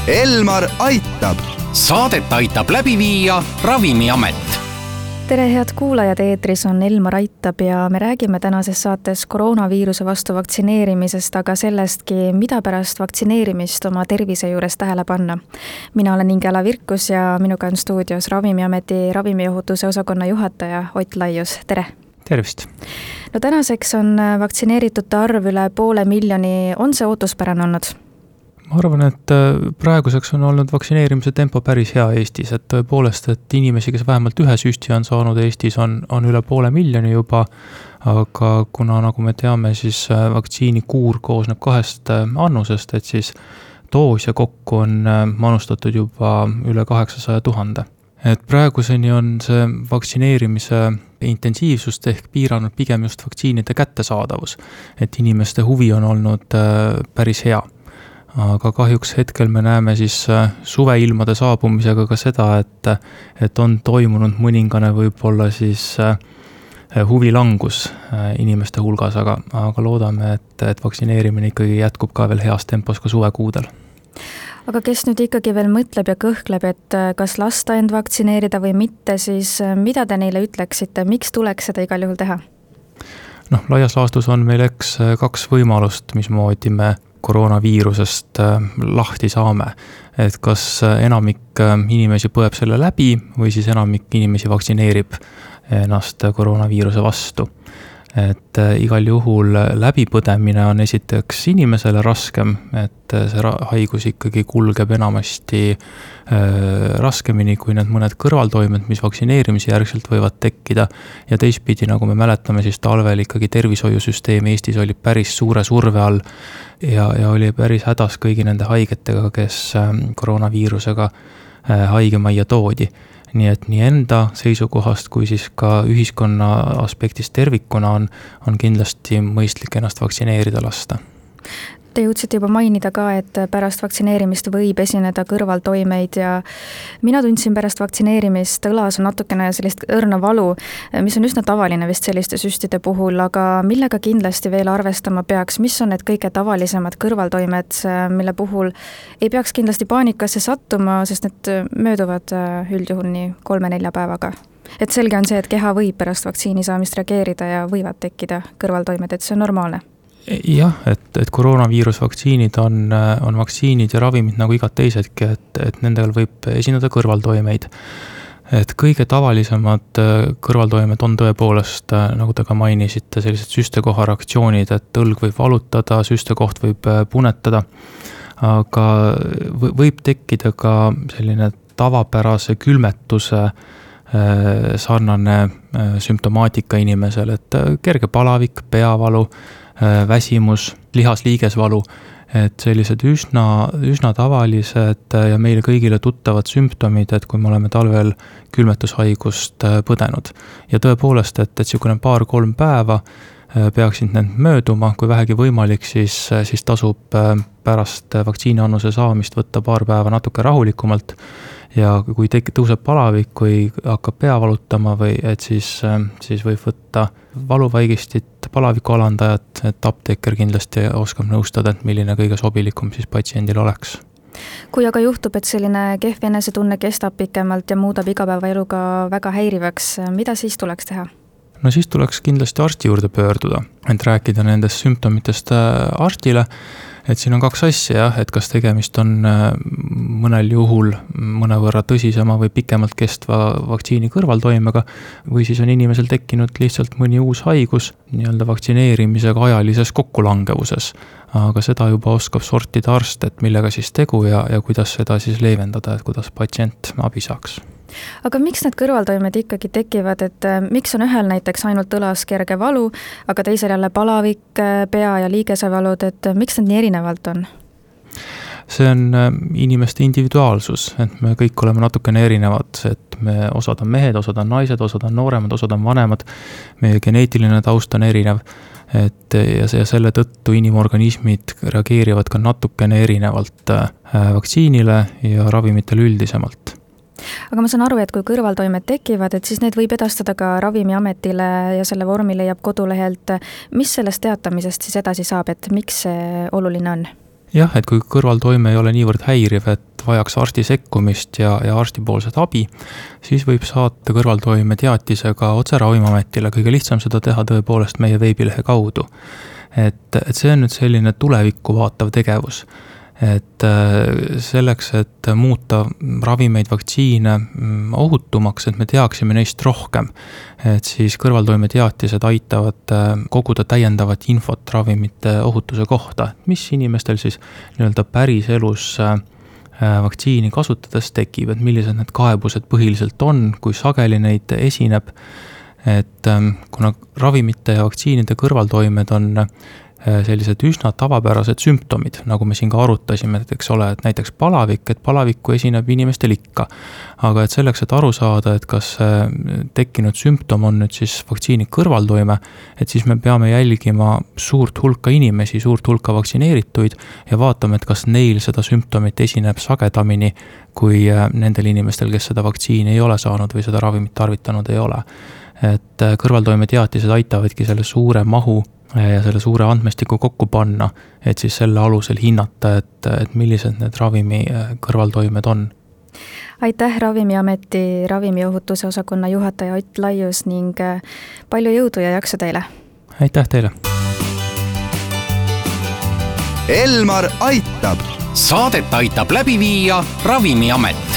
Elmar aitab. Saadet aitab läbi viia Ravimiamet. Tere head kuulajad, eetris on Elmar aitab ja me räägime tänases saates koroonaviiruse vastu vaktsineerimisest, aga sellestki, mida pärast vaktsineerimist oma tervise juures tähele panna. Mina olen Ingela Virkus ja minuga on stuudios Ravimiameti ravimiohutuse osakonna juhataja Ott Laius. Tere! Tervist! No tänaseks on vaktsineeritute arv üle 500,000. On see ootuspärane olnud? Ma arvan, et praeguseks on olnud vaktsineerimise tempo päris hea Eestis, et tõepoolest, et inimesi, kes vähemalt ühe süsti on saanud Eestis, on üle 500,000 juba, aga kuna, nagu me teame, siis vaktsiinikuur koosneb 2 annusest, et siis doos ja kokku on manustatud juba üle 800,000. Et praeguseni on see vaktsineerimise intensiivsust ehk piiranud pigem just vaktsiinide kättesaadavus, et inimeste huvi on olnud päris hea. Aga kahjuks hetkel me näeme siis suveilmade saabumisega ka seda, et on toimunud mõningane võib-olla siis huvilangus inimeste hulgas, aga loodame, et vaktsineerimine ikkagi jätkub ka veel heas tempos ka suvekuudel. Aga kes nüüd ikkagi veel mõtleb ja kõhkleb, et kas lasta end vaktsineerida või mitte, siis mida te neile ütleksite, miks tuleks seda igal juhul teha? Laias laastus on meil 2 võimalust, mismoodi me koroonaviirusest lahti saame. Et kas enamik inimesi põeb selle läbi või siis enamik inimesi vaktsineerib ennast koroonaviiruse vastu. Et igal juhul läbipõdemine on esiteks inimesele raskem, et see haigus ikkagi kulgeb enamasti raskemini kui need mõned kõrvaltoimed, mis vaktsineerimise järgselt võivad tekkida. Ja teistpidi, nagu me mäletame, siis talvel ikkagi tervishoiusüsteem Eestis oli päris suure surve all ja oli päris hädas kõigi nende haigetega, kes koroonaviirusega haigemajja toodi. Nii et nii enda seisukohast kui siis ka ühiskonna aspektist tervikuna on kindlasti mõistlik ennast vaktsineerida lasta. Te jõudsite juba mainida ka, et pärast vaktsineerimist võib esineda kõrvaltoimeid ja mina tundsin pärast vaktsineerimist õlas on natukene sellist õrna valu, mis on üsna tavaline vist selliste süstide puhul, aga millega kindlasti veel arvestama peaks, mis on need kõige tavalisemad kõrvaltoimed, mille puhul ei peaks kindlasti paanikasse sattuma, sest need mööduvad üldjuhul nii 3-4 päevaga. Et selge on see, et keha võib pärast vaktsiini saamist reageerida ja võivad tekkida kõrvaltoimed, et see on normaalne. Jah, et koroonaviirusvaktsiinid on vaktsiinid ja ravimid nagu igad teisedki, et nendel võib esineda kõrvaltoimeid. Et kõige tavalisemad kõrvaltoimed on tõepoolest, nagu te ka mainisite, sellised süstekohareaktsioonid, et õlg võib valutada, süstekoht võib punetada, aga võib tekkida ka selline tavapärase külmetuse sarnane sümptomaatika inimesel, et kerge palavik, peavalu, väsimus, lihasliigesvalu, et sellised üsna tavalised ja meile kõigile tuttavad sümptomid, et kui me oleme talvel külmetushaigust põdenud. Ja tõepoolest, et niisugune 2-3 päeva peaksid need mööduma, kui vähegi võimalik, siis tasub pärast vaktsiiniannuse saamist võtta 2 päeva natuke rahulikumalt ja kui tõuseb palavik, kui hakkab pea valutama või et siis võib võtta valuvaigistit, palaviku alandajat, et apteeker kindlasti oskab nõustada, et milline kõige sobilikum siis patsiendil oleks. Kui aga juhtub, et selline kehv enesetunne kestab pikemalt ja muudab igapäevaeluga väga häirivaks, mida siis tuleks teha? No siis tuleks kindlasti arsti juurde pöörduda, et rääkida nendest sümptomitest arstile, et siin on 2 asja, et kas tegemist on mõnel juhul mõnevõrra tõsisema või pikemalt kestva vaktsiini kõrvaltoimega või siis on inimesel tekkinud lihtsalt mõni uus haigus nii-öelda vaktsineerimisega ajalises kokkulangevuses. Aga seda juba oskab sortida arst, et millega siis tegu ja kuidas seda siis leevendada, et kuidas patsient abi saaks. Aga miks need kõrvaltoimed ikkagi tekivad, et miks on ühel näiteks ainult õlas kerge valu, aga teisel jälle palavik, pea ja liigesevalud, et miks need nii erinevalt on? See on inimeste individuaalsus, et me kõik oleme natukene erinevad, et osad on mehed, osad on naised, osad on nooremad, osad on vanemad, meie geneetiline taust on erinev, ja selle tõttu inimorganismid reageerivad ka natukene erinevalt vaktsiinile ja ravimitele üldisemalt. Aga ma saan aru, et kui kõrvaltoimed tekivad, et siis need võib edastada ka Ravimiametile ja selle vormi leiab kodulehelt. Mis sellest teatamisest siis edasi saab, et miks see oluline on? Jah, et kui kõrvaltoime ei ole niivõrd häiriv, et vajaks arsti sekkumist ja arstipoolset abi, siis võib saata kõrvaltoimeteatise ka otse Ravimiametile, kõige lihtsam seda teha tõepoolest meie veebilehe kaudu. Et see on nüüd selline tulevikku vaatav tegevus. Et selleks, et muuta ravimeid, vaktsiine ohutumaks, et me teaksime neist rohkem, et siis kõrvaltoimeteatised aitavad koguda täiendavat infot ravimite ohutuse kohta, mis inimestel siis nii-öelda päris elus vaktsiini kasutades tekib, et millised need kaebused põhiliselt on, kui sageli neid esineb, et kuna ravimite ja vaktsiinide kõrvaltoimed on sellised üsna tavapärased sümptomid, nagu me siin ka arutasime, eks ole, et näiteks palavik, et palavikku esineb inimestel ikka. Aga et selleks, et aru saada, et kas tekkinud sümptom on nüüd siis vaktsiini kõrvaltoime, et siis me peame jälgima suurt hulka inimesi, suurt hulka vaktsineerituid ja vaatame, et kas neil seda sümptomit esineb sagedamini kui nendel inimestel, kes seda vaktsiini ei ole saanud või seda ravimit tarvitanud ei ole. Et kõrvaltoimeteatised aitavadki selle suure mahu ja selle suure andmestiku kokku panna, et siis selle alusel hinnata, et millised need ravimi kõrvaltoimed on. Aitäh Ravimiameti ravimiohutuse osakonna juhataja Ott Laius ning palju jõudu ja jaksu teile! Aitäh teile! Elmar aitab! Saadet aitab läbi viia Ravimiamet.